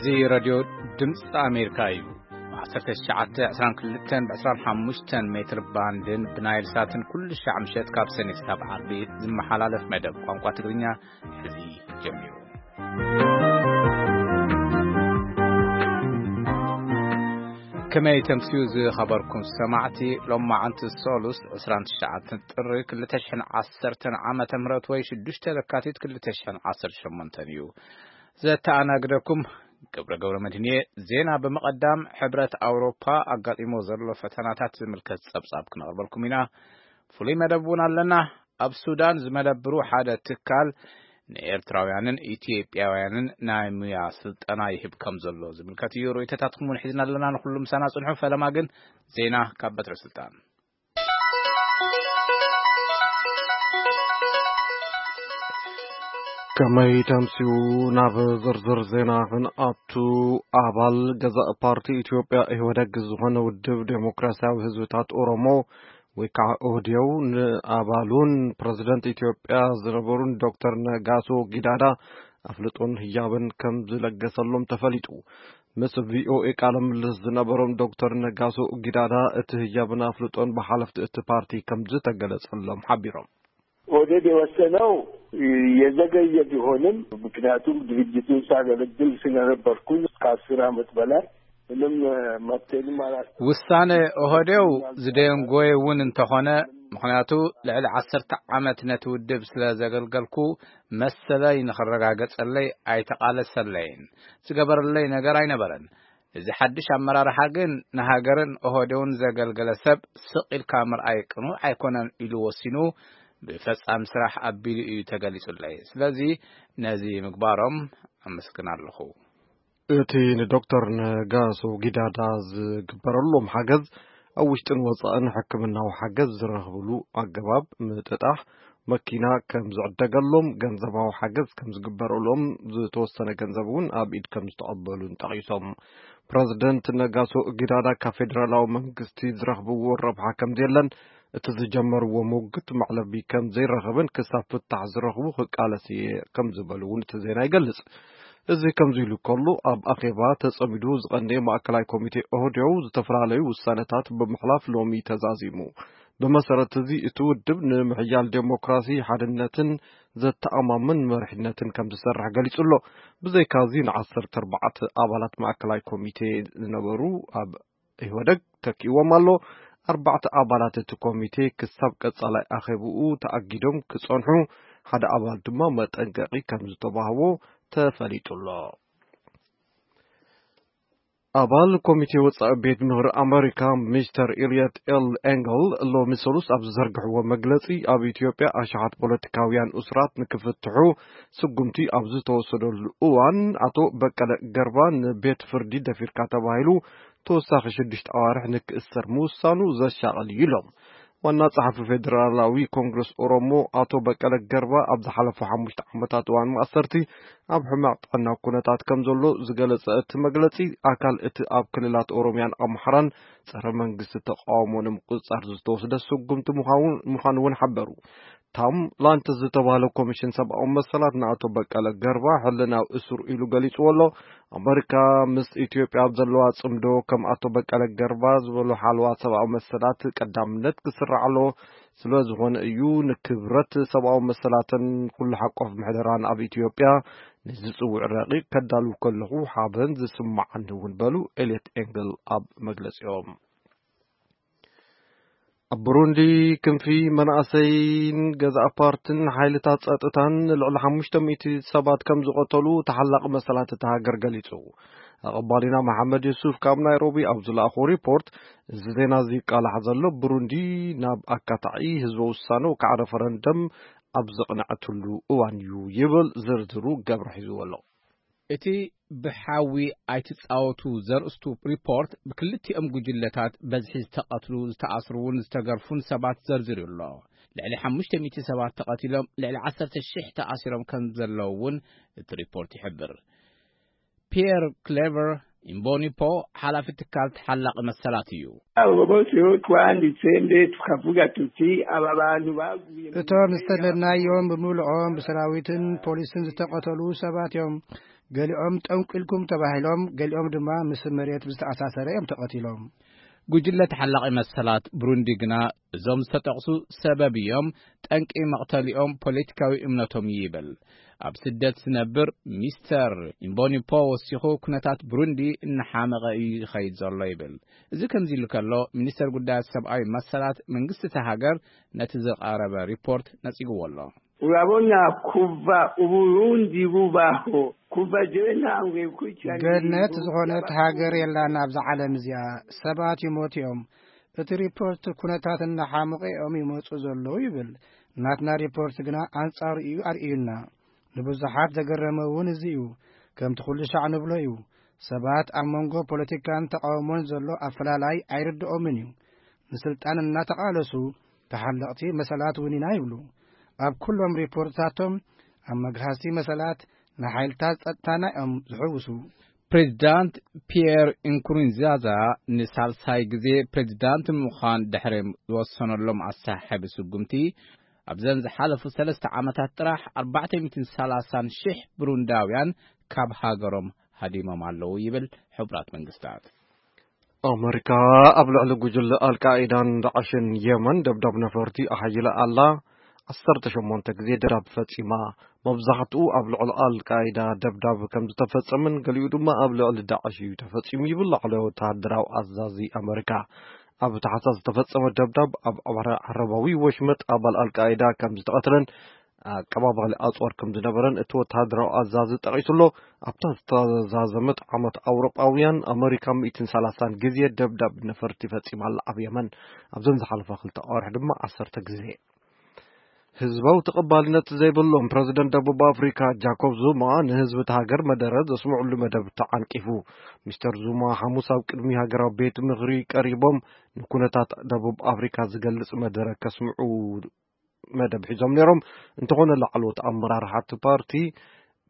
እዚ ሬድዮ ድምፂ ኣሜሪካ እዩ። ብ1922 ብ25 ሜትር ባንድን ብናይል ሳትን ኩሉ ሻዕ ምሸት ካብ ሰኔ ክሳብ ዓርቢ ዝመሓላለፍ መደብ ቋንቋ ትግርኛ ሕዚ ጀሚሩ። ከመይ ተምስዩ ዝኸበርኩም ሰማዕቲ፣ ሎማዓንቲ ሶሉስ 29 ጥሪ 2010 ዓመተ ምህረት ወይ 6 ለካቲት 2018 እዩ። ዘተኣናግደኩም ገብረ ገብረ መድህንየ። ዜና ብምቐዳም ሕብረት ኣውሮፓ ኣጋጢሞ ዘሎ ፈተናታት ዝምልከት ጸብጻብ ክነቕርበልኩም ኢና። ፍሉይ መደብ እውን ኣለና። ኣብ ሱዳን ዝመደብሩ ሓደ ትካል ንኤርትራውያንን ኢትዮጵያውያንን ናይ ሙያ ስልጠና ይህብ ከም ዘሎ ዝምልከት እዩ። ርእይቶታትኩም እውን ሒዝና ኣለና። ንኹሉ ምሳና ጽንሑ። ፈለማ ግን ዜና ካብ በትረ ስልጣን። ከመይ ተምስዩ። ናብ ዝርዝር ዜና ክንኣቱ፣ ኣባል ገዛእ ፓርቲ ኢትዮጵያ ኢህወደግ ዝኾነ ውድብ ዴሞክራሲያዊ ህዝብታት ኦሮሞ ወይ ከዓ ኦህዴው ንኣባሉን ፕረዚደንት ኢትዮጵያ ዝነበሩን ዶክተር ነጋሶ ጊዳዳ ኣፍልጦን ህያብን ከም ዝለገሰሎም ተፈሊጡ። ምስ ቪኦኤ ቃለ ምልልስ ዝነበሮም ዶክተር ነጋሶ ጊዳዳ እቲ ህያብን ኣፍልጦን ብሓለፍቲ እቲ ፓርቲ ከም ዝተገለጸሎም ሓቢሮም። ኦህዴድ የወሰነው የዘገየ ቢሆንም፣ ምክንያቱም ድርጅቱን ሳገለግል ስለነበርኩኝ ከ10 ዓመት በላይ ምንም መብቴንም አላስ ውሳነ ኦህዴው ዝደንጎየ እውን እንተኾነ፣ ምኽንያቱ ልዕሊ 10 ዓመት ነቲ ውድብ ስለ ዘገልገልኩ መሰለይ ንኽረጋገጸለይ ኣይተቓለሰለይን። ዝገበረለይ ነገር ኣይነበረን። እዚ ሓድሽ ኣመራርሓ ግን ንሃገርን ኦህዴውን ዘገልገለ ሰብ ስቕ ኢልካ ምርኣይ ቅኑዕ ኣይኮነን ኢሉ ወሲኑ ብፈጻሚ ስራሕ ኣቢሉ እዩ ተገሊጹለይ። ስለዚ ነዚ ምግባሮም ኣመስግን ኣለኹ። እቲ ንዶክተር ነጋሶ ጊዳዳ ዝግበረሎም ሓገዝ ኣብ ውሽጥን ወጻእን ሕክምናዊ ሓገዝ ዝረኽብሉ ኣገባብ ምጥጣሕ፣ መኪና ከም ዝዕደገሎም፣ ገንዘባዊ ሓገዝ ከም ዝግበረሎም፣ ዝተወሰነ ገንዘብ እውን ኣብ ኢድ ከም ዝተቐበሉን ጠቒሶም። ፕረዚደንት ነጋሶ ጊዳዳ ካብ ፌደራላዊ መንግስቲ ዝረኽብዎ ረብሓ ከም ዘየለን፣ እቲ ዝጀመርዎ ሙግት መዕለቢ ከም ዘይረኸበን ክሳብ ፍታሕ ዝረኽቡ ክቃለስ እየ ከም ዝበሉ እውን እቲ ዜና ይገልጽ። እዚ ከምዚ ኢሉ ከሎ፣ ኣብ ኣኼባ ተጸሚዱ ዝቐነየ ማእከላይ ኮሚቴ ኦህዴው ዝተፈላለዩ ውሳነታት ብምሕላፍ ሎሚ ተዛዚሙ። ብመሰረት እዚ፣ እቲ ውድብ ንምሕያል ዴሞክራሲ፣ ሓድነትን ዘተኣማምን መሪሕነትን ከም ዝሰርሕ ገሊጹ ኣሎ። ብዘይካዚ፣ ን14 ኣባላት ማእከላይ ኮሚቴ ዝነበሩ ኣብ ኢህወደግ ተኪእዎም ኣሎ። ኣርባዕተ ኣባላት እቲ ኮሚቴ ክሳብ ቀጻላይ ኣኼብኡ ተኣጊዶም ክጸንሑ፣ ሓደ ኣባል ድማ መጠንቀቂ ከም ዝተዋህቦ ተፈሊጡ ኣሎ። ኣባል ኮሚቴ ወጻኢ ቤት ምኽሪ ኣመሪካ ሚስተር ኢልየት ኤል ኤንግል ሎሚ ሰሉስ ኣብ ዝዘርግሕዎ መግለጺ፣ ኣብ ኢትዮጵያ ኣሽሓት ፖለቲካውያን እሱራት ንክፍትሑ ስጉምቲ ኣብ ዝተወሰደሉ እዋን፣ ኣቶ በቀለ ገርባ ንቤት ፍርዲ ደፊርካ ተባሂሉ ተወሳኺ ሽዱሽተ ኣዋርሕ ንክእሰር ምውሳኑ ዘሻቕል እዩ ኢሎም። ዋና ጸሓፊ ፌደራላዊ ኮንግረስ ኦሮሞ ኣቶ በቀለ ገርባ ኣብ ዝሓለፉ ሓሙሽተ ዓመታት እዋን ማእሰርቲ ኣብ ሕማቕ ጥዕና ኩነታት ከም ዘሎ ዝገለጸ እቲ መግለጺ፣ ኣካል እቲ ኣብ ክልላት ኦሮሚያን ኣምሓራን ጸረ መንግስቲ ተቃውሞ ንምቁጽጻር ዝተወስደ ስጉምቲ ምዃኑ፣ ምዃኑ እውን ሓበሩ። ታም ላንተስ ዝተባህለ ኮሚሽን ሰብኣዊ መሰላት ንኣቶ በቀለ ገርባ ሕልናዊ እሱር ኢሉ ገሊጽዎ ኣሎ። ኣመሪካ ምስ ኢትዮጵያ ኣብ ዘለዋ ጽምዶ፣ ከም ኣቶ በቀለ ገርባ ዝበሉ ሓለዋ ሰብኣዊ መሰላት ቀዳምነት ክስራዕ ኣለዎ። ስለ ዝኾነ እዩ ንክብረት ሰብኣዊ መሰላትን ኩሉ ሓቆፍ ምሕደራን ኣብ ኢትዮጵያ ንዝጽውዕ ረቂቕ ከዳልው ከለኹ ሓበን ዝስማዓኒ እውን በሉ ኤልየት ኤንግል ኣብ መግለጺኦም። ኣብ ብሩንዲ ክንፊ መናእሰይን ገዛእ ፓርትን ሓይልታት ጸጥታን ልዕሊ ሓሙሽተ ሚእቲ ሰባት ከም ዝቐተሉ ተሓላቒ መሰላት እታ ሃገር ገሊጹ። ኣቐባሊና መሓመድ ዩሱፍ ካብ ናይሮቢ ኣብ ዝለኣኾ ሪፖርት፣ እዚ ዜና እዚ ይቃላሕ ዘሎ ብሩንዲ ናብ ኣካታዒ ህዝበ ውሳነ ወይ ከዓ ረፈረንደም ኣብ ዘቕነዐትሉ እዋን እዩ ይብል። ዝርዝሩ ገብረ ሒዝዎ ኣሎ። እቲ ብሓዊ ኣይትጻወቱ ዘርእስቱ ሪፖርት ብክልቲኦም ጉጅለታት በዝሒ ዝተቐትሉ፣ ዝተኣስሩን ዝተገርፉን ሰባት ዘርዚሩ ኣሎ። ልዕሊ ሓሙሽተ ሚእቲ ሰባት ተቐቲሎም፣ ልዕሊ ዓሰርተ ሽሕ ተኣሲሮም ከም ዘለዉ እውን እቲ ሪፖርት ይሕብር። ፒየር ክሌቨር ኢምቦኒፖ ሓላፊ ትካል ተሓላቒ መሰላት እዩ። Abo bose bo twanditse mbere tukavuga tuti aba bantu baguye mu እቶም ዝተለናዮም ብምልኦም ብሰራዊትን ፖሊስን ዝተቐተሉ ሰባት እዮም። ገሊኦም ጠንቂልኩም ተባሂሎም፣ ገሊኦም ድማ ምስ መሬት ብዝተኣሳሰረ እዮም ተቐቲሎም። ጉጅለ ተሓላቒ መሰላት ብሩንዲ ግና እዞም ዝተጠቕሱ ሰበብ እዮም፣ ጠንቂ መቕተሊኦም ፖለቲካዊ እምነቶም እዩ ይብል። ኣብ ስደት ዝነብር ሚስተር ኢምቦኒፖ ወሲኹ፣ ኩነታት ብሩንዲ እናሓመቐ እዩ ይኸይድ ዘሎ ይብል። እዚ ከምዚ ኢሉ ከሎ፣ ሚኒስተር ጉዳያት ሰብኣዊ መሰላት መንግስቲ እታ ሃገር ነቲ ዝቐረበ ሪፖርት ነጺግዎ ኣሎ። Urabona kuva Uburundi bubaho, kuva jewe ntanguye gukurikirana ገነት ibintu ዝኾነት by'abaturage. ሃገር የላን ኣብዛ ዓለም እዚኣ። ሰባት ይሞቱ እዮም። እቲ ሪፖርት ኩነታት እናሓመቑ እዮም ይመጹ ዘለዉ ይብል። ናትና ሪፖርት ግና ኣንጻሩ እዩ ኣርእዩና። ንብዙሓት ዘገረመ እውን እዚ እዩ። ከምቲ ኩሉ ሻዕ ንብሎ እዩ። ሰባት ኣብ መንጎ ፖለቲካን ተቃውሞን ዘሎ ኣፈላላይ ኣይርድኦምን እዩ። ንስልጣን እናተቓለሱ ተሓለቕቲ መሰላት እውን ኢና ይብሉ። ኣብ ኩሎም ሪፖርትታቶም ኣብ መግሃስቲ መሰላት ንሓይልታት ጸጥታና እዮም ዝሕውሱ። ፕሬዚዳንት ፒየር ኢንኩሩንዛዛ ንሳልሳይ ግዜ ፕሬዚዳንት ንምዃን ድሕሪ ዝወሰነሎም ኣሰሓሕቢ ስጉምቲ፣ ኣብዘን ዝሓለፉ ሰለስተ ዓመታት ጥራሕ ኣርባዕተ ሚእትን ሰላሳን ሽሕ ብሩንዳውያን ካብ ሃገሮም ሃዲሞም ኣለዉ ይብል ሕቡራት መንግስታት። ኣመሪካ ኣብ ልዕሊ ጉጅለ ኣልቃኢዳን ዳዕሽን የመን ደብዳብ ነፈርቲ ኣሓይላ ኣላ። ዓሰርተ ሸሞንተ ግዜ ደብዳብ ፈጺማ። መብዛሕትኡ ኣብ ልዕሊ ኣልቃኢዳ ደብዳብ ከም ዝተፈጸመን ገሊኡ ድማ ኣብ ልዕሊ ዳዕሽ እዩ ተፈጺሙ ይብል ላዕለዋይ ወተሃደራዊ ኣዛዚ ኣመሪካ። ኣብ ታሕሳስ ዝተፈጸመ ደብዳብ ኣብ ዓረ-፣ ዓረባዊ ወሽመጥ ኣባል ኣልቃኢዳ ከም ዝተቐትለን ኣቀባባሊ ኣጽዋር ከም ዝነበረን እቲ ወተሃደራዊ ኣዛዚ ጠቒሱ ኣሎ። ኣብታ ዝተዛዘመት ዓመት ኣውሮጳውያን ኣመሪካ ሚእትን ሰላሳን ግዜ ደብዳብ ነፈርቲ ፈጺማ ኣላ ኣብ የመን። ኣብዘን ዝሓለፋ ክልተ ኣዋርሕ ድማ ዓሰርተ ግዜ። ህዝባዊ ተቐባልነት ዘይብሎም ፕረዚደንት ደቡብ ኣፍሪካ ጃኮብ ዙማ ንህዝቢ እቲ ሃገር መደረ ዘስምዕሉ መደብ ተዓንቂፉ። ሚስተር ዙማ ሓሙስ ኣብ ቅድሚ ሃገራዊ ቤት ምኽሪ ቀሪቦም ንኩነታት ደቡብ ኣፍሪካ ዝገልጽ መደረ ከስምዑ መደብ ሒዞም ነይሮም። እንተኾነ ላዕለዎት ኣመራርሓ እቲ ፓርቲ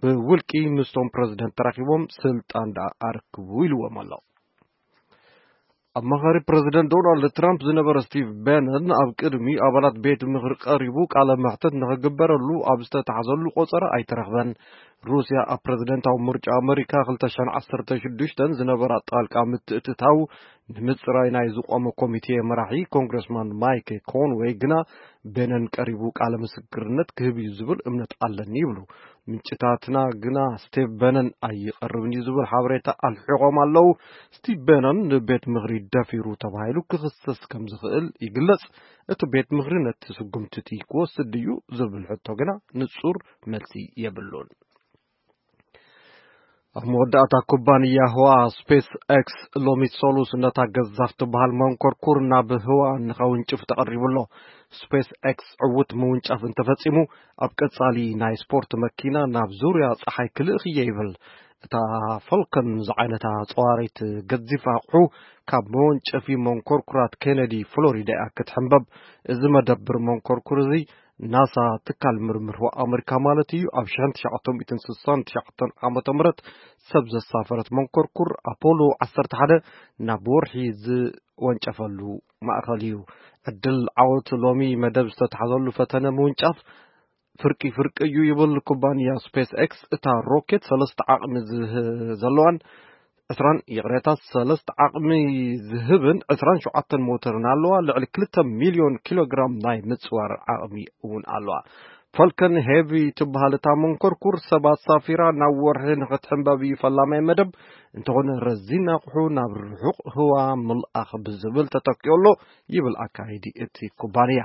ብውልቂ ምስቶም ፕረዚደንት ተራኺቦም ስልጣን ደኣ ኣርክቡ ኢልዎም ኣሎ። ኣማኻሪ ፕረዚደንት ዶናልድ ትራምፕ ዝነበረ ስቲቭ በነን ኣብ ቅድሚ ኣባላት ቤት ምኽሪ ቀሪቡ ቃለ መሕተት ንኽግበረሉ ኣብ ዝተታሕዘሉ ቆጸራ ኣይተረኽበን። ሩስያ ኣብ ፕረዚደንታዊ ምርጫ ኣመሪካ ክልተ ሽሕን ዓሰርተ ሽዱሽተን ዝነበራ ጣልቃ ምትእትታው ንምጽራይ ናይ ዝቖመ ኮሚቴ መራሒ ኮንግረስማን ማይክ ኮንወይ ግና በነን ቀሪቡ ቃለ ምስክርነት ክህብ እዩ ዝብል እምነት ኣለኒ ይብሉ። ምንጭታትና ግና ስቲቭ በነን ኣይቐርብን እዩ ዝብል ሓበሬታ ኣልሒቖም ኣለዉ። ስቲቭ በነን ንቤት ምኽሪ ደፊሩ ተባሂሉ ክኽሰስ ከም ዝኽእል ይግለጽ። እቲ ቤት ምኽሪ ነቲ ስጉምቲ እቲ ክወስድ ድዩ ዝብል ሕቶ ግና ንጹር መልሲ የብሉን። ኣብ መወዳእታ ኩባንያ ህዋ ስፔስ ኤክስ ሎሚ ሰሉስ ነታ ገዛፍ ትበሃል መንኮርኩር ናብ ህዋ ንኸውንጭፍ ተቐሪቡ ኣሎ። ስፔስ ኤክስ ዕዉት ምውንጫፍ እንተፈጺሙ ኣብ ቀጻሊ ናይ ስፖርት መኪና ናብ ዙርያ ጸሓይ ክልእኽ እየ ይብል። እታ ፋልኮን ዝዓይነታ ጸዋሪት ገዚፍ ኣቕሑ ካብ መወንጨፊ መንኮርኩራት ኬነዲ ፍሎሪዳ እያ ክትሕንበብ። እዚ መደብር መንኮርኩር እዚ ናሳ ትካል ምርምር ህዋ ኣመሪካ ማለት እዩ። ኣብ ሽሕን ትሽዓተ ሚእትን ስሳን ትሽዓተን ዓመተ ምህረት ሰብ ዘሳፈረት መንኮርኩር ኣፖሎ ዓሰርተ ሓደ ናብ ወርሒ ዝወንጨፈሉ ማእኸል እዩ። ዕድል ዓወት ሎሚ መደብ ዝተታሕዘሉ ፈተነ ምውንጫፍ ፍርቂ ፍርቂ እዩ ይብል ኩባንያ ስፔስ ኤክስ። እታ ሮኬት ሰለስተ ዓቕሚ ዝህ-፣ ዘለዋን ዕስራን፣ ይቕሬታ፣ ሰለስተ ዓቕሚ ዝህብን ዕስራን ሸውዓተን ሞተርን ኣለዋ። ልዕሊ ክልተ ሚልዮን ኪሎግራም ናይ ምጽዋር ዓቕሚ እውን ኣለዋ። ፋልከን ሄቪ ትበሃል እታ መንኮርኩር ሰብ ኣሳፊራ ናብ ወርሒ ንኽትሕንበብ እዩ ፈላማይ መደብ። እንተኾነ ረዚን ኣቑሑ ናብ ርሑቕ ህዋ ምልኣኽ ብዝብል ተተኪኡ ኣሎ ይብል ኣካይዲ እቲ ኩባንያ።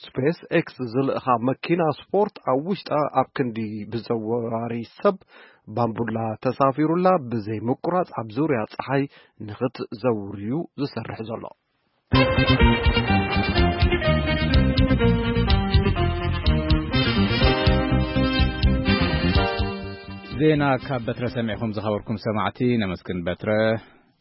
ስፔስ ኤክስ ዝልእኻ መኪና ስፖርት ኣብ ውሽጣ ኣብ ክንዲ ብዘዋሪ ሰብ ባምቡላ ተሳፊሩላ ብዘይ ምቁራጽ ኣብ ዙርያ ጸሓይ ንኽትዘውር እዩ ዝሰርሕ ዘሎ። ዜና ካብ በትረ ሰሚዕኹም ዝኸበርኩም ሰማዕቲ ነመስግን በትረ።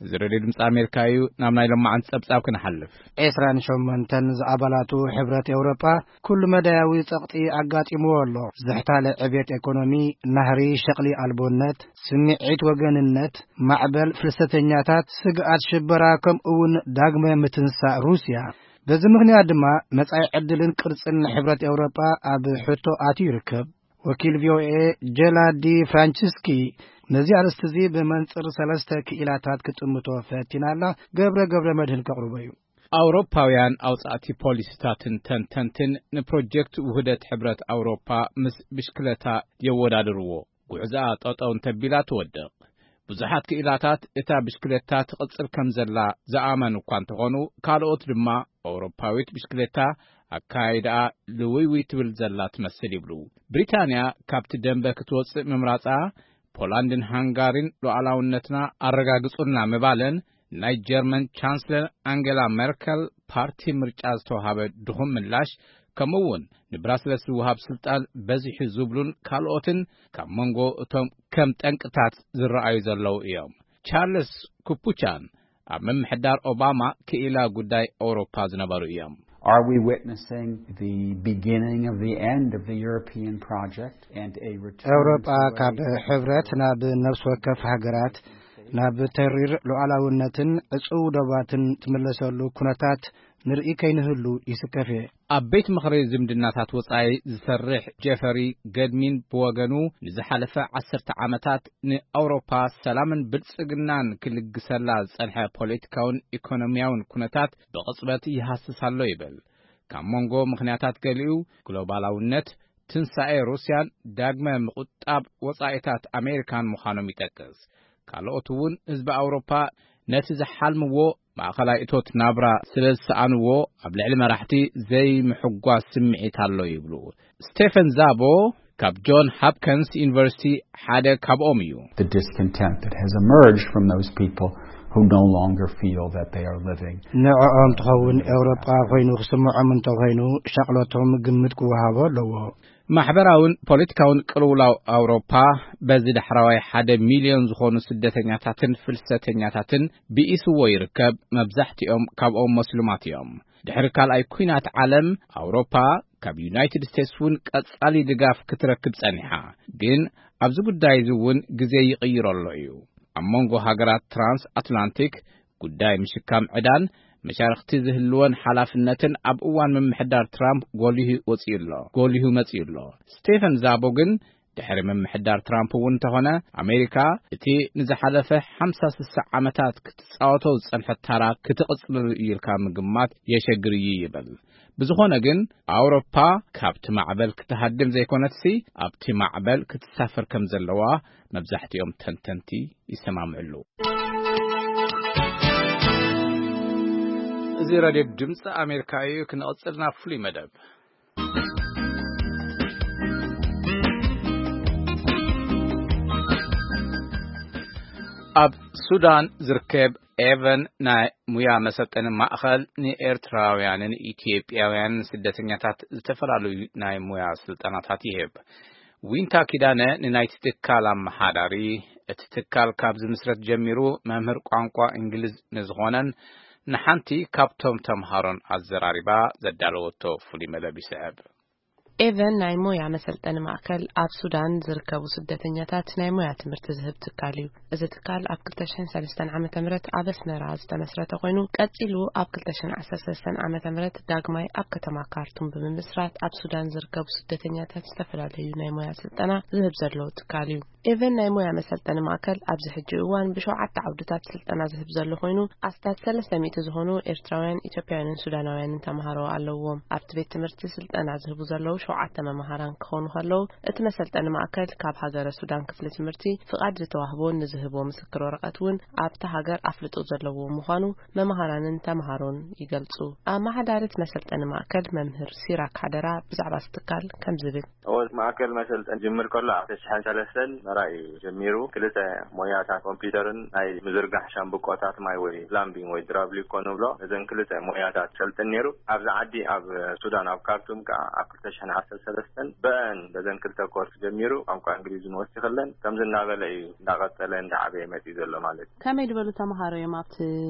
እዚ ሬድዮ ድምፂ ኣሜሪካ እዩ። ናብ ናይ ሎማዓንቲ ጸብጻብ ክንሓልፍ። ዕስራን ሸሞንተን ዝኣባላቱ ሕብረት ኤውሮጳ ኩሉ መዳያዊ ጸቕጢ ኣጋጢምዎ ኣሎ። ዝሕታለ ዕብየት ኤኮኖሚ፣ ናህሪ ሸቕሊ ኣልቦነት፣ ስምዒት ወገንነት፣ ማዕበል ፍልሰተኛታት፣ ስግኣት ሽበራ፣ ከምኡ እውን ዳግመ ምትንሳእ ሩስያ። በዚ ምኽንያት ድማ መጻኢ ዕድልን ቅርጽን ሕብረት ኤውሮጳ ኣብ ሕቶ ኣትዩ ይርከብ። ወኪል ቪ ኦ ኤ ጀላ ዲ ፍራንቸስኪ ነዚ ኣርእስቲ እዚ ብመንጽር ሰለስተ ክኢላታት ክጥምቶ ፈቲና ኣላ። ገብረ ገብረ መድህን ከቕርቦ እዩ። ኣውሮፓውያን ኣውጻእቲ ፖሊሲታትን ተንተንትን ንፕሮጀክት ውህደት ሕብረት ኣውሮፓ ምስ ብሽክለታ የወዳድርዎ። ጉዕዞኣ ጠጠው እንተቢላ ትወድቕ። ብዙሓት ክኢላታት እታ ብሽክለታ ትቕጽል ከም ዘላ ዝኣመኑ እኳ እንተኾኑ፣ ካልኦት ድማ ኣውሮፓዊት ብሽክለታ ኣካይዳኣ ልውይውይ ትብል ዘላ ትመስል ይብሉ። ብሪታንያ ካብቲ ደንበ ክትወጽእ ምምራጻ፣ ፖላንድን ሃንጋሪን ሉዓላውነትና ኣረጋግጹልና ምባለን፣ ናይ ጀርመን ቻንስለር ኣንጌላ ሜርከል ፓርቲ ምርጫ ዝተዋሃበ ድኹም ምላሽ፣ ከምኡ እውን ንብራስለስ ዝወሃብ ስልጣን በዚሑ ዝብሉን ካልኦትን ካብ መንጎ እቶም ከም ጠንቅታት ዝረኣዩ ዘለዉ እዮም። ቻርልስ ኩፑቻን ኣብ ምምሕዳር ኦባማ ክኢላ ጉዳይ ኣውሮፓ ዝነበሩ እዮም። Are we witnessing the beginning of the end of the European project and a return ኤውሮጳ to a ካብ ሕብረት ናብ ነፍስ ወከፍ ሃገራት፣ ናብ ተሪር ሉዓላውነትን ዕጹው ዶባትን ትምለሰሉ ኩነታት ንርኢ ከይንህሉ ይስከፍ እየ። ኣብ ቤት ምኽሪ ዝምድናታት ወጻኢ ዝሰርሕ ጀፈሪ ገድሚን ብወገኑ፣ ንዝሓለፈ ዓሰርተ ዓመታት ንኣውሮፓ ሰላምን ብልጽግናን ክልግሰላ ዝጸንሐ ፖለቲካውን ኢኮኖሚያውን ኩነታት ብቕጽበት ይሃስስ ኣሎ ይብል። ካብ መንጎ ምኽንያታት ገሊኡ፣ ግሎባላውነት፣ ትንሳኤ ሩስያን ዳግመ ምቑጣብ ወጻኢታት ኣሜሪካን ምዃኖም ይጠቅስ። ካልኦት እውን ህዝቢ ኣውሮፓ ነቲ ዝሓልምዎ ማእኸላይ እቶት ናብራ ስለ ዝሰኣንዎ፣ ኣብ ልዕሊ መራሕቲ ዘይምሕጓስ ስምዒት ኣሎ ይብሉ። ስቴፈን ዛቦ ካብ ጆን ሃፕከንስ ዩኒቨርሲቲ ሓደ ካብኦም እዩ። The discontent that has emerged from those people who no longer feel that they are living. ንዕኦም ትኸውን ኤውሮጳ ኮይኑ ክስምዖም እንተኾይኑ፣ ሻቕሎቶም ግምት ክወሃቦ ኣለዎ። ማሕበራውን ፖለቲካውን ቅልውላው ኣውሮፓ፣ በዚ ዳሕራዋይ ሓደ ሚልዮን ዝኾኑ ስደተኛታትን ፍልሰተኛታትን ብኢስዎ ይርከብ። መብዛሕትኦም ካብኦም መስሉማት እዮም። ድሕሪ ካልኣይ ኲናት ዓለም፣ ኣውሮፓ ካብ ዩናይትድ ስቴትስ እውን ቀጻሊ ድጋፍ ክትረክብ ጸኒሓ። ግን ኣብዚ ጉዳይ እዚ እውን ግዜ ይቕይሮ ኣሎ እዩ። ኣብ መንጎ ሃገራት ትራንስ ኣትላንቲክ ጉዳይ ምሽካም ዕዳን መሻርኽቲ ዝህልወን ሓላፍነትን ኣብ እዋን ምምሕዳር ትራምፕ ጎሊሁ ወጺኡ ኣሎ፣ ጎሊሁ መጺኡ ኣሎ። ስቴፈን ዛቦ ግን፣ ድሕሪ ምምሕዳር ትራምፕ እውን እንተኾነ፣ ኣሜሪካ እቲ ንዝሓለፈ ሓምሳ ስሳ ዓመታት ክትጻወቶ ዝጸንሐት ታራ ክትቕጽለሉ እዩ ኢልካ ምግማት የሸግር እዩ ይብል። ብዝኾነ ግን፣ ኣውሮፓ ካብቲ ማዕበል ክትሃድም ዘይኮነትሲ፣ ኣብቲ ማዕበል ክትሳፈር ከም ዘለዋ መብዛሕትኦም ተንተንቲ ይሰማምዕሉ። እዚ ራድዮ ድምፂ ኣሜሪካ እዩ። ክንቕፅል ናብ ፍሉይ መደብ። ኣብ ሱዳን ዝርከብ ኤቨን ናይ ሙያ መሰልጠኒ ማእኸል ንኤርትራውያንን ኢትዮጵያውያንን ስደተኛታት ዝተፈላለዩ ናይ ሙያ ስልጠናታት ይህብ። ዊንታ ኪዳነ ንናይቲ ትካል ኣመሓዳሪ፣ እቲ ትካል ካብ ዝምስረት ጀሚሩ መምህር ቋንቋ እንግሊዝ ንዝኾነን ንሓንቲ ካብቶም ተምሃሮን ኣዘራሪባ ዘዳለወቶ ፍሉይ መደብ ይስዕብ። ኤቨን ናይ ሞያ መሰልጠኒ ማእከል ኣብ ሱዳን ዝርከቡ ስደተኛታት ናይ ሞያ ትምህርቲ ዝህብ ትካል እዩ። እዚ ትካል ኣብ ክልተ ሽሕን ሰለስተን ዓመተ ምህረት ኣብ ኣስመራ ዝተመስረተ ኮይኑ፣ ቀጺሉ ኣብ ክልተ ሽሕን ዓሰርተ ሰለስተን ዓመተ ምህረት ዳግማይ ኣብ ከተማ ካርቱም ብምምስራት ኣብ ሱዳን ዝርከቡ ስደተኛታት ዝተፈላለዩ ናይ ሞያ ስልጠና ዝህብ ዘሎ ትካል እዩ። ኤቨን ናይ ሞያ መሰልጠኒ ማእከል ኣብዚ ሕጂ እዋን ብሸውዓተ ዓውድታት ስልጠና ዝህብ ዘሎ ኮይኑ፣ ኣስታት ሰለስተ ሚእቲ ዝኾኑ ኤርትራውያን፣ ኢትዮጵያውያንን ሱዳናውያንን ተምሃሮ ኣለውዎም። ኣብቲ ቤት ትምህርቲ ስልጠና ዝህቡ ዘለዉ ሸውዓተ መማህራን ክኾኑ ከለዉ፣ እቲ መሰልጠኒ ማእከል ካብ ሃገረ ሱዳን ክፍሊ ትምህርቲ ፍቓድ ዝተዋህቦን ንዝህቦ ምስክር ወረቐት እውን ኣብታ ሃገር ኣፍልጦ ዘለዎ ምዃኑ መማህራንን ተምሃሮን ይገልጹ። ኣመሓዳሪት መሰልጠኒ ማእከል መምህር ሲራክ ሓደራ ብዛዕባ እዚ ትካል ከምዚ ይብል። እወ፣ ማእከል መሰልጠኒ ጅምር ከሎ ኣብ ክልተ ሽሕን ሰለስተን ኣስመራ እዩ ጀሚሩ። ክልተ ሞያታት ኮምፒውተርን ናይ ምዝርጋሕ ሻምብቆታት ማይ ወይ ፕላምቢንግ ወይ ድራብሊኮ ንብሎ፣ ነዘን ክልተ ሞያታት ሰልጥን ነይሩ። ኣብዚ ዓዲ ኣብ ሱዳን ኣብ ካርቱም ከዓ ኣብ ክልተ ሽሕን ዓሰርተ ሰለስተን ብአን በዘን ክልተ ኮርስ ጀሚሩ ቋንቋ እንግሊዝ ንወሲኸለን። ከምዚ እናበለ እዩ እንዳቐጸለ እንዳዓበየ መጺኡ ዘሎ ማለት እዩ። ከመይ ዝበሉ ተምሃሮ እዮም ኣብቲ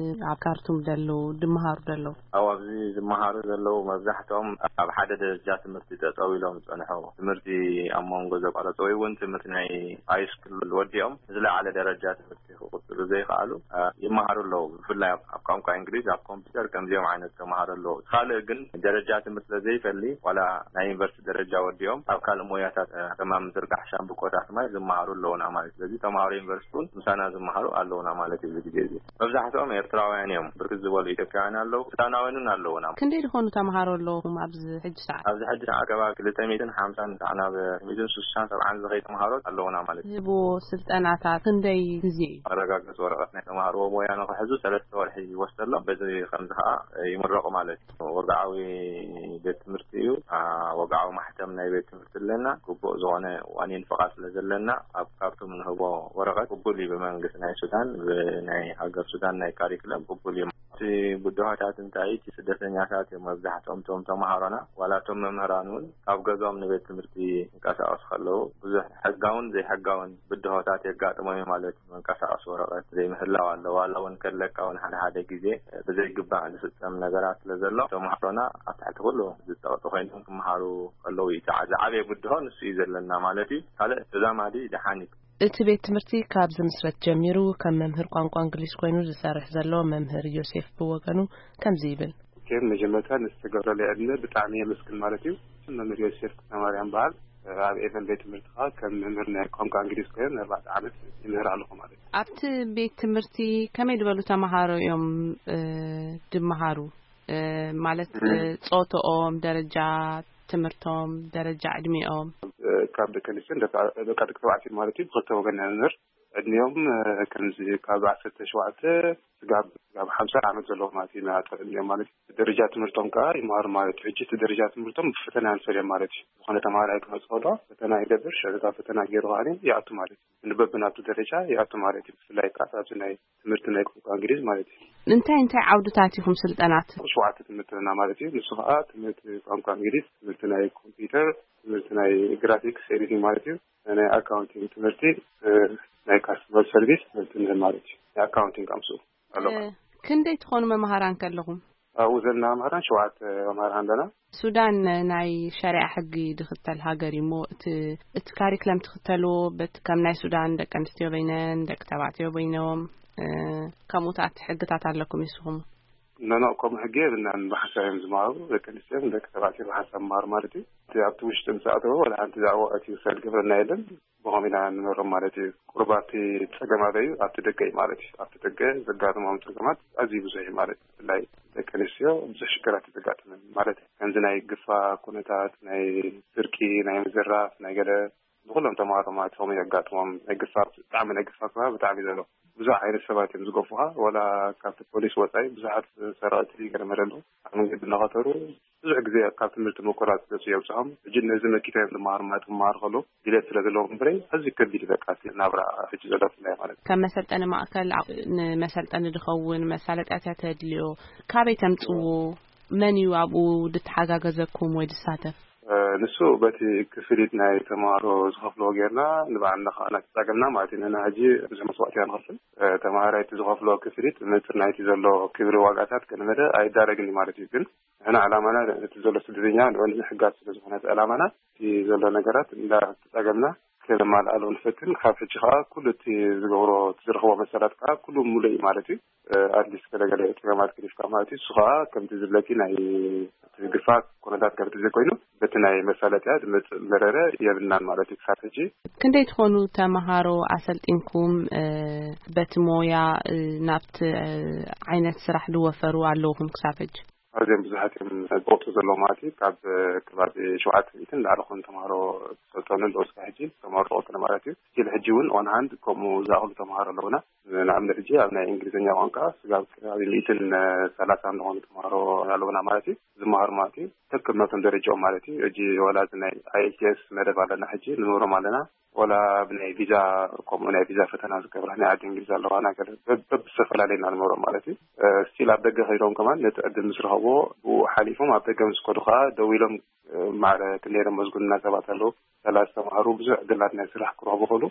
ኣብ ካርቱም ዘለዉ ድምሃሩ ዘለዉ? ኣብ ኣብዚ ዝመሃሩ ዘለዉ መብዛሕትኦም ኣብ ሓደ ደረጃ ትምህርቲ ጠጠው ኢሎም ዝጸንሑ፣ ትምህርቲ ኣብ መንጎ ዘቋረጹ ወይ እውን ትምህርቲ ናይ ሃይስኩል ወዲኦም ዝለዓለ ደረጃ ትምህርቲ ክቕጽሉ ዘይከኣሉ፣ እ፣ ይመሃሩ ኣለዉ። ብፍላይ ኣብ፣ ኣብ ቋንቋ እንግሊዝ ኣብ ኮምፒውተር ከምዚኦም ዓይነት ተምሃሮ ኣለዉ። ካልእ ግን ደረጃ ትምህርቲ ስለዘይፈሊ ዋላ ናይ ዩኒቨርሲቲ ደረጃ ወዲኦም ኣብ ካልእ ሞያታት፣ እ፣ ከማን ምዝርጋሕ ሻምብቆታት ማይ ዝመሃሩ ኣለዉና ማለት እዩ። ስለዚ ተምሃሮ ዩኒቨርሲቲ እውን ምሳና ዝመሃሩ ኣለዉና ማለት እዩ። እዚ ግዜ እዚ መብዛሕትኦም ኤርትራውያን እዮም። ብርክት ዝበሉ ኢትዮጵያውያን ኣለዉ፣ ሱዳናውያን እውን ኣለዉና። ክንደይ ዝኾኑ ተምሃሮ ኣለዉኹም ኣብዚ ሕጂ ሰዓት? ኣብዚ ሕጂ ሰዓት ከባቢ ክልተ ሚእትን ሓምሳን ንታዕ ናብ ሚእትን ስሳን ሰብዓን ዝኸይ ተምሃሮ ኣለዉና ማለት እዩ። ዝህብዎ ስልጠናታት ክንደይ ግዜ እዩ? መረጋገጺ ወረቐት ናይ ተምሃርዎ ሞያ ንኽሕዙ ሰለስተ ወርሒ ይወስደሎም። በዚ ከምዚ ከዓ ይምረቑ ማለት እዩ። ወግዓዊ ቤት ትምህርቲ እዩ። አ፣ ወግዓዊ ማሕተም ናይ ቤት ትምህርቲ ኣለና። ግቡእ ዝኾነ ዋኒን ፍቓድ ስለ ዘለና ኣብ ካርቱም ንህቦ ወረቐት ቅቡል እዩ ብመንግስቲ ናይ ሱዳን፣ ብናይ ሃገር ሱዳን ናይ ካሪክለም ቅቡል እዩ። እቲ ብድሆታት እንታይ እቲ ስደተኛታት እዮም መብዛሕትኦም እቶም ተምሃሮና። ዋላ እቶም መምህራን እውን ካብ ገዝኦም ንቤት ትምህርቲ ይንቀሳቐሱ ከለዉ ብዙሕ ሕጋውን ዘይሕጋውን ብድሆታት የጋጥሞም እዩ ማለት እዩ። መንቀሳቐሲ ወረቐት ዘይምህላው ኣሎ። ዋላ እውን ከለካ እውን ሓደ ሓደ ግዜ ብዘይግባእ ዝፍጸም ነገራት ስለ ዘሎ ተምሃሮና ኣብ ትሕቲ ኩሉ ዝጠቕጡ ኮይኖም ክመሃሩ ከለዉ እዩ። እቲ ዝዓበየ ብድሆ ንሱ እዩ ዘለና ማለት እዩ። ካልእ ተዛማዲ ደሓን እዩ። እቲ ቤት ትምህርቲ ካብ ዝምስረት ጀሚሩ ከም መምህር ቋንቋ እንግሊዝ ኮይኑ ዝሰርሕ ዘሎ መምህር ዮሴፍ ብወገኑ ከምዚ ይብል። ከም መጀመርታ ንዝተገብረለይ ዕድመ ብጣዕሚ የመስግን ማለት እዩ። መምህር ዮሴፍ ክፍለማርያም በዓል ኣብ ኤቨን ቤት ትምህርቲ ከዓ ከም መምህር ናይ ቋንቋ እንግሊዝ ኮይኑ ንኣርባዕተ ዓመት ይምህር ኣለኹ ማለት እዩ። ኣብቲ ቤት ትምህርቲ ከመይ ዝበሉ ተምሃሮ እዮም፣ እ፣ ድመሃሩ? እ፣ ማለት፣ እ፣ እ፣ ጾቶኦም፣ ደረጃ ትምህርቶም፣ ደረጃ ዕድሜኦም? እ፣ ካብ ደቂ ኣንስትዮን ደቂ፣ ደቂ፣ ደቂ ተባዕትዮ ማለት እዩ። ብክልተ ወገን ኢና ንምህር። ዕድሜኦም፣ እ፣ ከምዚ ካብ ዓሰርተ ሸውዓተ ስጋብ፣ ስጋብ ሓምሳ ዓመት ዘለዉ ማለት እዩ። ንኣጠር ዕድሜኦም ማለት እዩ። ደረጃ ትምህርቶም ከዓ ይመሃሩ ማለት እዩ። ሕጂ እቲ ደረጃ ትምህርቶም ብፈተና ንፈልዮም ማለት እዩ። ዝኾነ ተምሃራይ ክመጽእ ከሎ ፈተና ይገብር፣ ሽዕታ ፈተና ገይሩ ከዓ ይኣቱ ማለት እዩ። ንበብናቱ ደረጃ ይኣቱ ማለት እዩ። ብፍላይ ከዓ ኣብዚ ናይ ትምህርቲ ናይ ቋንቋ እንግሊዝ ማለት እዩ። እንታይ እንታይ ዓውድታት ኢኹም ስልጠናት? ሸውዓተ ትምህርቲ ኣለና ማለት እዩ። ንሱ ከዓ ትምህርቲ ቋንቋ እንግሊዝ፣ ትምህርቲ ናይ ኮምፒውተር፣ ትምህርቲ ናይ ግራፊክስ ኤዲቲንግ ማለት እዩ። ናይ ኣካውንቲንግ ትምህርቲ፣ እ፣ ናይ ካስተመር ሰርቪስ ትምህርቲ ንህብ ማለት እዩ። ናይ ኣካውንቲንግ ኣምስኡ ኣሎ። እ፣ ክንደይ ትኾኑ መምሃራን ከለኹም? ኣብኡ ዘለና መምህራን ሸውዓተ መምህራን ኣለና። ሱዳን ናይ ሸሪዓ ሕጊ ድኽተል ሃገር እዩ እሞ፣ እቲ፣ እቲ ካሪክለም ትኽተልዎ፣ በቲ ከም ናይ ሱዳን ደቂ ኣንስትዮ በይነን፣ ደቂ ተባዕትዮ በይኖም፣ እ፣ ከምኡታት ሕግታት ኣለኩም ይስኹም? ኖ፣ ኖ፣ ከምኡ ሕጊ የብልናን። ብሓሳብ እዮም ዝመሃሩ። ደቂ ኣንስትዮ ደቂ ተባዕትዮ ብሓሳብ መሃሩ ማለት እዩ። እቲ ኣብቲ ውሽጢ ምስ ኣተወ፣ ወላ ሓንቲ ዛዕባ እቲ ውሳድ ግብርና የለን። ብኸም ኢና ንመሮም ማለት እዩ። ቁርብ ኣብቲ ጸገም ኣበይ እዩ? ኣብቲ ደገ እዩ ማለት እዩ። ኣብቲ ደገ ዘጋጥሞም ጸገማት ኣዝዩ ብዙሕ እዩ ማለት እዩ። ብፍላይ ደቂ ኣንስትዮ ብዙሕ ሽግራት እዩ ዘጋጥመን ማለት እዩ። ከምዚ ናይ ግፋ ኩነታት፣ ናይ ስርቂ፣ ናይ ምዝራፍ፣ ናይ ገለ ንኹሎም ተማሃሮ ማለት ከምኡ የጋጥሞም። ናይ ግፋ፣ ብጣዕሚ ናይ ግፋ ከባቢ ብጣዕሚ እዩ ዘሎ። ብዙሕ ዓይነት ሰባት እዮም ዝገፉኻ። ወላ ካብቲ ፖሊስ ወጻኢ ብዙሓት ሰረቕቲ ገለ መለ ኣለዉ። ኣብ መንገዲ እናኸተሩ ብዙሕ ግዜ ካብ ትምህርቲ ምቁራጽ ገጹ የብጽሖም። ሕጂ ነዚ መኪታ እዮም ዝመሃሩ ማለት ክመሃሩ ከለዉ ድሌት ስለ ዘለዎም እምበረይ ኣዝዩ ከቢድ እዩ በቃ እቲ ናብራ ሕጂ ዘሎ ብፍላይ ማለት እዩ። ከም መሰልጠኒ ማእከል ኣብ፣ ንመሰልጠኒ ዝኸውን መሳለጥያታት የድልዮ። ካበይ ተምጽዎ? መን እዩ ኣብኡ ድተሓጋገዘኩም ወይ ድሳተፍ? እ፣ ንሱ በቲ ክፍሊት ናይ ተምሃሮ ዝኸፍልዎ ጌርና ንባዕልና ከዓ እናተጻገምና ማለት እዩ። ንሕና ሕጂ ብዙሕ መስዋእቲ ኢና ንኸፍል። እ፣ ተምሃራይ እቲ ዝኸፍልዎ ክፍሊት ንጽር ናይቲ ዘሎ ክብሪ ዋጋታት ገለ መለ ኣይዳረግን እዩ ማለት እዩ። ግን ንሕና ዕላማና እቲ ዘሎ ስደተኛ ንዑ ንምሕጋዝ ስለ ዝኾነ እቲ ዕላማና እቲ ዘሎ ነገራት እንዳተጻገምና ከነማልኣሉ ንፈትን። ካብ ሕጂ ከዓ ኩሉ እቲ ዝገብሮ፣ እቲ ዝረኽቦ መሰላት ከዓ ኩሉ ሙሉእ እዩ ማለት እዩ። እ፣ ኣትሊስት ገለገለ ጸገማት ገዲፍካ ማለት እዩ። እሱ ከዓ ከምቲ ዝብለኪ ናይ እቲ ግፋት ኩነታት ከምቲ ዘይኮይኑ በቲ ናይ መሳለጥያ ዝመጽእ መረረ የብልናን ማለት እዩ ክሳብ ሕጂ። ክንደይ ትኾኑ ተመሃሮ ኣሰልጢንኩም፣ እ፣ በቲ ሞያ፣ እ፣ ናብቲ፣ እ፣ ዓይነት ስራሕ ዝወፈሩ ኣለውኹም ክሳብ ሕጂ? ኣዝዮም ብዙሓት እዮም ዝወጡ ዘለዉ ማለት እዩ። ካብ ከባቢ ሸውዓተ ሚእትን ንላዕሊ ኾኑ ተምሃሮ ዝሰልጠኑ ኣለዉ እስካብ ሕጂ፣ ተመረቑ ማለት እዩ። ስቲል ሕጂ እውን ኦን ሃንድ ከምኡ ዝኣኽሉ ተምሃሮ ኣለዉና። ንኣብነት ሕጂ ኣብ ናይ እንግሊዝኛ ቋንቋ ስጋብ ከባቢ ሚእትን ሰላሳን ዝኾኑ ተምሃሮ ኣለዉና ማለት እዩ፣ ዝመሃሩ ማለት እዩ። ከከም ናቶም ደረጃኦም ማለት እዩ። ሕጂ ወላ እዚ ናይ ኣይኤልቲኤስ መደብ ኣለና፣ ሕጂ ንምህሮም ኣለና። ወላ ብናይ ቪዛ፣ ከምኡ ናይ ቪዛ ፈተና ዝገብራ ናይ ዓዲ እንግሊዝ ኣለዋ፣ ናይ ገለ በብ-፣ በብዝተፈላለየ ኢና ንምህሮም ማለት እዩ። ስቲል ኣብ ደገ ከይዶም ከማን ነቲ ዕድል ምስ ረኸብዎ ብኡ ሓሊፎም ኣብ ደገ ምስ ከዱ ከኣ ደዊሎም ማዕረ ክንደይ መዝጉንና ሰባት ኣለዉ። ሰላሳ ተምሃሩ ብዙሕ ዕድላት ናይ ስራሕ ክረኽቡ ይኽእሉ።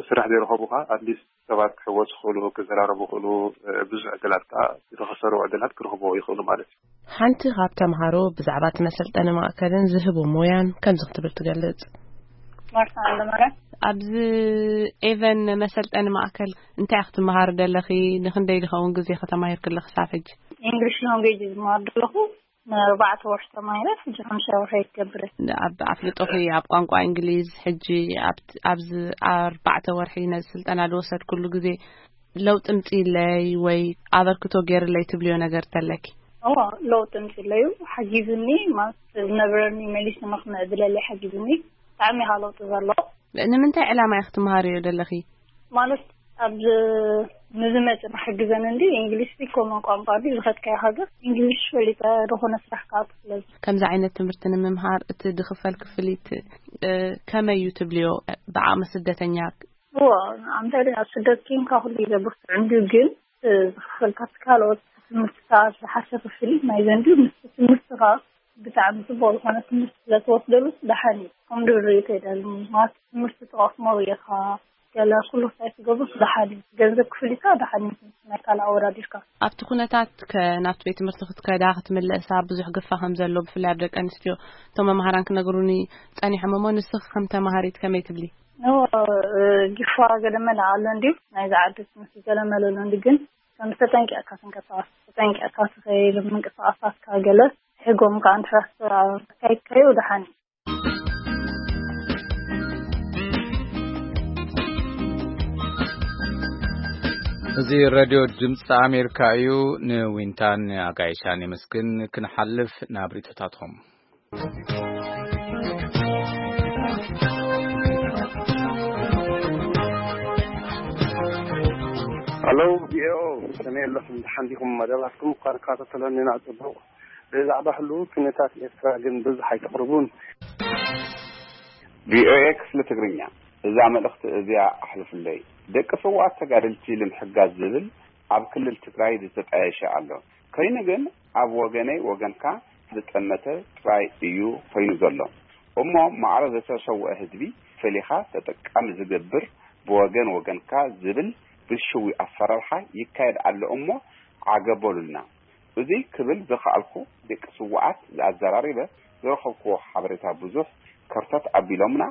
ስራሕ ዘይረኸቡ ከኣ ኣትሊስት ሰባት ክሕወሱ ይኽእሉ፣ ክዘራረቡ ይኽእሉ፣ ብዙሕ ዕድላት ከኣ ዝተኸሰሩ ዕድላት ክረኽቡ ይኽእሉ ማለት እዩ። ሓንቲ ካብ ተምሃሮ ብዛዕባ እቲ መሰልጠኒ ማእከልን ዝህቦ ሞያን ከምዚ ክትብል ትገልጽ። ማርታ ኣለማርያም። ኣብዚ ኤቨን መሰልጠኒ ማእከል እንታይ ክትመሃሪ ደለኺ? ንኽንደይ ዝኸውን ግዜ ከተማሂርክለ ክሳብ ሕጂ? ኢንግሊሽ ላንጉጅ ዝመሃር ዘለኹ። ንኣርባዕተ ወርሒ ተማሂረ፣ ሕጂ ሓምሻይ ወርሒ ይገብረ። ኣብ ኣፍልጦኺ ኣብ ቋንቋ እንግሊዝ፣ ሕጂ ኣብ፣ ኣብዚ ኣርባዕተ ወርሒ ነዚ ስልጠና ዝወሰድኩሉ ግዜ ለውጢ ምጽኢለይ ወይ ኣበርክቶ ገይርለይ ትብልዮ ነገር ተለኪ? እዋ፣ ለውጢ ምጽኢለዩ፣ ሓጊዙኒ፣ ማለት ዝነበረኒ መሊሱ ንኽምዕብለለይ ሓጊዙኒ፣ ብጣዕሚ ኢኻ ለውጢ ዘሎ። ንምንታይ ዕላማ ኢኺ ትመሃርዮ ዘለኺ? ማለት ኣብ ንዝመጽእ ንኽሕግዘን እንዲ እንግሊሽ ሲ ኮመን ቋንቋ ድዩ ዝኸድካዮ ሃገር? እንግሊሽ ፈሊጠ ዝኾነ ስራሕ ክኣቱ ስለዚ። ከምዚ ዓይነት ትምህርቲ ንምምሃር እቲ ዝኽፈል ክፍሊት፣ እ፣ ከመይ እዩ ትብልዮ? ብዓቕሚ ስደተኛ? እዎ፣ ኣምሳሌ ኣብ ስደት ኬንካ ኩሉ እዩ ዘብርትዕ እንድዩ፣ ግን፣ እ፣ ዝኽፈል ካብቲ ካልኦት ትምህርትታት ዝሓሸ ክፍሊት ናይ ዘንድዩ ምስ ትምህርትኻ ብጣዕሚ ጽቡቕ ዝኾነ ትምህርቲ ስለ ትወስደሉስ ደሓን እዩ። ከም ድብሪ ከይደልኒ፣ ማለት ትምህርቲ ትቐስሞ ርኢኻ፣ ገለ ኩሉ ክሳይ ትገብርስ ደሓን እዩ። ገንዘብ ክፍሊትካ ደሓን እዩ፣ ናይ ካልእ ኣወዳዲርካ። ኣብቲ ኩነታት ከ ናብቲ ቤት ትምህርቲ ክትከዳ ክትምለሳ ብዙሕ ግፋ ከም ዘሎ፣ ብፍላይ ኣብ ደቂ ኣንስትዮ እቶም መምሃራን ክነግሩኒ ጸኒሖም እሞ፣ ንስኺ ከም ተማሃሪት ከመይ ትብሊ? ኖ፣ እ፣ ግፋ ገለ መለ ኣሎ እንድዩ፣ ናይዚ ዓዲ ትምህርቲ ገለ መለ ኣሎ እንድዩ፣ ግን ከም ተጠንቂቕካ ትንቀሳቐስ፣ ተጠንቂቕካ ትኸይድ፣ ምንቅስቓሳትካ ገለ ሕጎም ከኣ እንድሕር ኣካይድካዮ ደሓን እዩ። እዚ ሬድዮ ድምፂ ኣሜሪካ እዩ። ንዊንታን ኣጋይሻን የመስግን። ክንሓልፍ ናብ ርእይቶታትኩም። ሃሎ፣ ቪኦኤ፣ ከመይ ኣለኹም? ደሓን ዲኹም? መደባትኩም እኳ ንከታተሎ ኢና ጽቡቕ። ብዛዕባ ህሉው ኩነታት ኤርትራ ግን ብዙሕ ኣይተቕርቡን። ቪኦኤ ክፍሊ ትግርኛ፣ እዛ መልእኽቲ እዚኣ ኣሕልፍለይ። ደቂ ስውኣት ተጋደልቲ ንምሕጋዝ ዝብል ኣብ ክልል ትግራይ ዝተጣየሸ ኣሎ። ኮይኑ ግን ኣብ ወገነይ ወገንካ ዝጠመተ ጥራይ እዩ ኮይኑ ዘሎ። እሞ ማዕረ ዝተሰውአ ህዝቢ ፈሊኻ ተጠቃሚ ዝገብር ብወገን ወገንካ ዝብል ብልሽዊ ኣሰራርሓ ይካየድ ኣሎ እሞ ዓገብ በሉልና። እዚ ክብል ዝኸኣልኩ ደቂ ስውኣት ዝኣዘራሪበ ዝረኸብክዎ ሓበሬታ ብዙሕ ከርተት ኣቢሎምና፣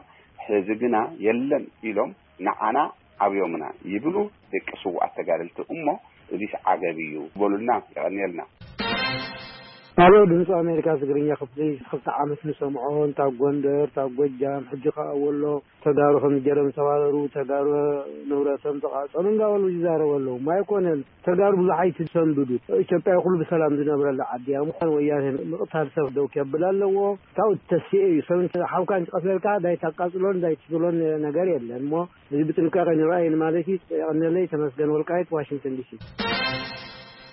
ሕዚ ግና የለን ኢሎም ንዓና ኣብዮምና ይብሉ ደቂ ስውኣት ተጋደልቲ እሞ እዚስ ዓገብ እዩ በሉልና። የቐንየልና። ኣሎ ድምፂ ኣሜሪካ ትግርኛ ክፍሊ ክልተ ዓመት ንሰምዖ፣ እንታ ጎንደር፣ እንታ ጎጃም፣ ሕጂ ከዓ ወሎ፣ ተጋሩ ከም ጀረም ዝተባረሩ፣ ተጋሩ ንብረቶም ተቃጸሉ እንዳበሉ ይዛረቡ ኣለዉ። ማይኮነን ተጋሩ ብዙሕ ኣይትሰንብዱ። ኢትዮጵያ ኩሉ ብሰላም ዝነብረላ ዓዲ እያ። ምዃን ወያነ ምቕታል ሰብ ደው ከብል ኣለዎ። ካብኡ ተሲኤ እዩ። ሰብ እንተ ሓውካ እንተቐትለልካ እንዳይታቃጽሎን እንዳይትስሎን ነገር የለን። እሞ እዚ ብጥንቃቄ ንርኣይ ማለት እዩ። የቐንየለይ። ተመስገን ወልቃይት፣ ዋሽንግተን ዲሲ።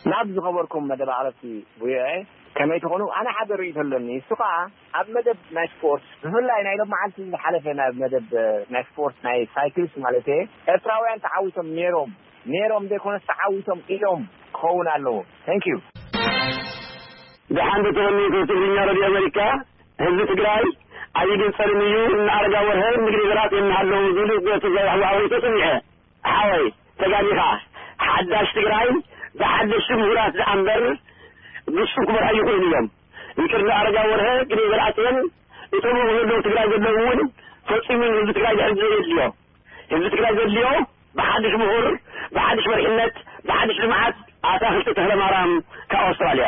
ናብ ዝኸበርኩም መደብ ኣቕረብቲ ቪኦኤ፣ ከመይ ትኾኑ? ኣነ ሓደ ርእይቶ ኣለኒ። እሱ ኸዓ ኣብ መደብ ናይ ስፖርት፣ ብፍላይ ናይ ሎም መዓልቲ ዝሓለፈ ናብ መደብ፣ እ፣ ናይ ስፖርት ናይ ሳይክልስ ማለት እየ፣ ኤርትራውያን ተዓዊቶም ነይሮም፣ ነይሮም ዘይኮነስ ተዓዊቶም ኢሎም ክኸውን ኣለዎ። Thank you። ደሓን ዶ ተቐኒቱ ትግርኛ ሬድዮ ኣሜሪካ? ህዝቢ ትግራይ ኣይግንጸልን እዩ። እነ ኣረጋ ወርሀ ምግሪ ዘራጥ የናሃለዉ ዝብል ትግራይ ኣዋዊቶ ስሚዐ። ሓወይ ተጋጊኻ። ሓዳሽ ትግራይ ብሓደሽቲ ምሁራት ዝኣምበር ግሱም ክመርሑ ይኽእሉ እዮም። ይቅር ንኣረጋ ወርሀ፣ ግደይ ዘርኣጽዮን፣ እቶም ኣብ ዘለዉ ትግራይ ዘለዉ እውን ፈጺሙ ንህዝቢ ትግራይ ድሕሪ ዘየድልዮ። ህዝቢ ትግራይ ዘድልዮ ብሓድሽ ምሁር፣ ብሓድሽ መሪሕነት፣ ብሓድሽ ልምዓት። ኣታኽልቲ ተኽለማርያም ካብ ኣውስትራልያ።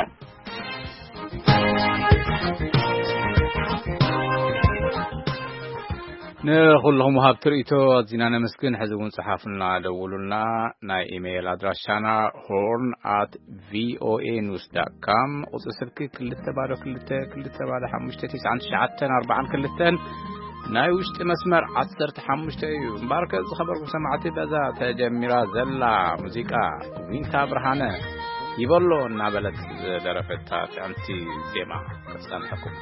ንኹልኹም ወሃብቲ ርእይቶ ኣዚና ነመስግን። ሕዚ እውን ጽሓፉልና፣ ደውሉልና። ናይ ኢሜይል ኣድራሻና ሆርን ኣት ቪኦኤ ኒውስ ዳት ካም፣ ቁጽሪ ስልኪ ክልተ ባዶ ክልተ ክልተ ባዶ ሓሙሽተ ትሽዓን ትሽዓተን ኣርባዓን ክልተን፣ ናይ ውሽጢ መስመር ዓሰርተ ሓሙሽተ እዩ። እምበኣርከ ዝኸበርኩም ሰማዕቲ፣ በዛ ተጀሚራ ዘላ ሙዚቃ ዊንታ ብርሃነ ይበሎ እናበለት ዝደረፈታ ጥዕምቲ ዜማ ክትጸንሐኩም።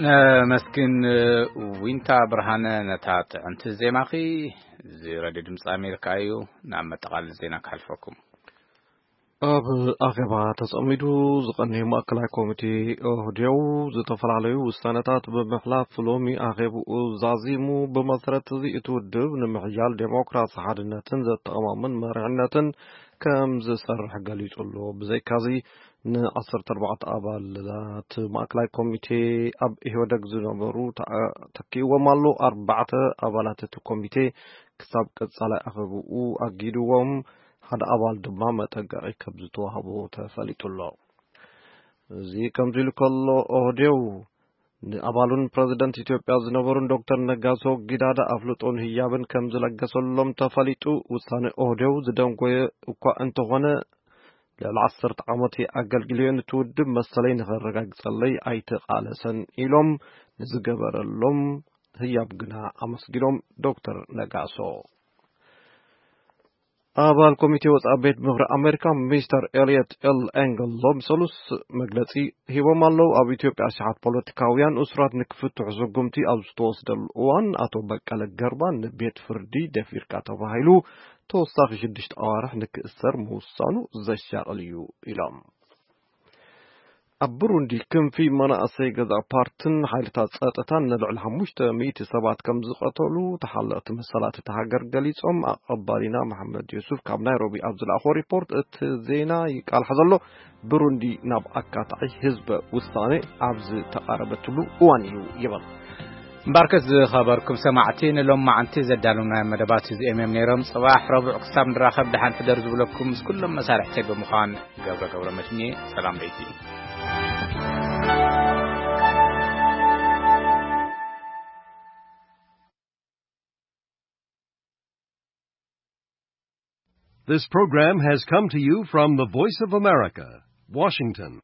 ነመስግን ዊንታ ብርሃነ ነታ ጥዕምቲ ዜማኺ። እዚ ሬድዮ ድምፂ ኣሜሪካ እዩ። ናብ መጠቓለሊ ዜና ክሓልፈኩም። ኣብ ኣኼባ ተጸሚዱ ዝቐነየ ማእከላይ ኮሚቴ ኦህዴው ዝተፈላለዩ ውሳነታት ብምሕላፍ ሎሚ ኣኼብኡ ዛዚሙ። ብመሰረት እዚ እቲ ውድብ ንምሕያል ዴሞክራሲ ሓድነትን ዘተኣማምን መሪሕነትን ከም ዝሰርሕ ገሊጹ ኣሎ። ብዘይካዚ ንዓሰርተ ኣርባዕተ ኣባላት ማእከላይ ኮሚቴ ኣብ ኢህወደግ ዝነበሩ ተኣ-፣ ተኪእዎም ኣሎ። ኣርባዕተ ኣባላት እቲ ኮሚቴ ክሳብ ቀጻላይ ኣኼብኡ ኣጊድዎም። ሓደ ኣባል ድማ መጠንቀቒ ከም ዝተዋህቦ ተፈሊጡ ኣሎ። እዚ ከምዚ ኢሉ ከሎ ኦህዴው ንኣባሉን ፕረዚደንት ኢትዮጵያ ዝነበሩን ዶክተር ነጋሶ ጊዳዳ ኣፍልጦን ህያብን ከም ዝለገሰሎም ተፈሊጡ። ውሳነ ኦህዴው ዝደንጎየ እኳ እንተኾነ ልዕሊ ዓሰርተ ዓመት ኣገልግልዮ ነቲ ውድብ መሰለይ ንኸረጋግጸለይ ኣይተቓለሰን ኢሎም ንዝገበረሎም ህያብ ግና ኣመስጊኖም ዶክተር ነጋሶ። ኣባል ኮሚቴ ወጻኢ ቤት ምኽሪ ኣሜሪካ ሚስተር ኤልየት ኤል ኤንግል ሎም ሰሉስ መግለጺ ሂቦም ኣለዉ። ኣብ ኢትዮጵያ ኣሽሓት ፖለቲካውያን እሱራት ንክፍትሑ ስጉምቲ ኣብ ዝተወስደሉ እዋን ኣቶ በቀለ ገርባ ንቤት ፍርዲ ደፊርካ ተባሂሉ ተወሳኺ ሽዱሽተ ኣዋርሕ ንክእሰር ምውሳኑ ዘሻቕል እዩ ኢሎም። ኣብ ብሩንዲ ክንፊ መናእሰይ ገዛ ፓርትን ሓይልታት ጸጥታን ንልዕሊ ሓሙሽተ ሚእቲ ሰባት ከም ዝቐተሉ ተሓለቕቲ መሰላት እታ ሃገር ገሊጾም። ኣቐባሊና መሓመድ ዮሱፍ ካብ ናይሮቢ ኣብ ዝለኣኾ ሪፖርት፣ እቲ ዜና ይቃልሓ ዘሎ ብሩንዲ ናብ ኣካታዒ ህዝበ ውሳኔ ኣብ ዝተቓረበትሉ እዋን እዩ ይብል። እምበርከስ ዝኸበርኩም ሰማዕቲ፣ ንሎም መዓንቲ ዘዳለውናዮም መደባት እዚኦም እዮም ነይሮም። ጽባሕ ረቡዕ ክሳብ ንራኸብ ደሓን ሕደር ዝብለኩም ምስ ኩሎም መሳርሕተይ ብምዃን ገብረ ገብረ መድህን እየ። ሰላም ለይቲ። This program has come to you from the Voice of America, Washington.